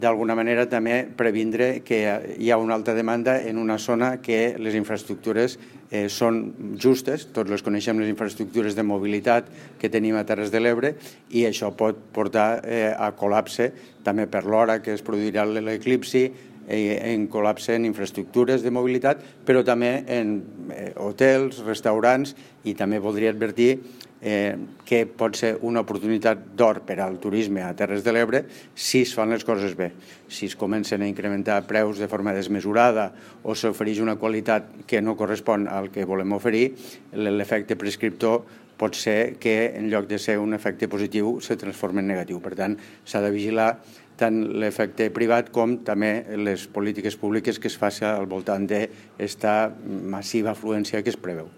d'alguna manera també previndre que hi ha una alta demanda en una zona que les infraestructures són justes, tots les coneixem, les infraestructures de mobilitat que tenim a Terres de l'Ebre, i això pot portar a col·lapse també per l'hora que es produirà l'eclipsi, en col·lapse en infraestructures de mobilitat, però també en hotels, restaurants, i també voldria advertir que pot ser una oportunitat d'or per al turisme a Terres de l'Ebre si es fan les coses bé. Si es comencen a incrementar preus de forma desmesurada o s'ofereix una qualitat que no correspon al que volem oferir, l'efecte prescriptor pot ser que en lloc de ser un efecte positiu se transformi en negatiu. Per tant, s'ha de vigilar tant l'efecte privat com també les polítiques públiques que es facin al voltant d'aquesta massiva afluència que es preveu.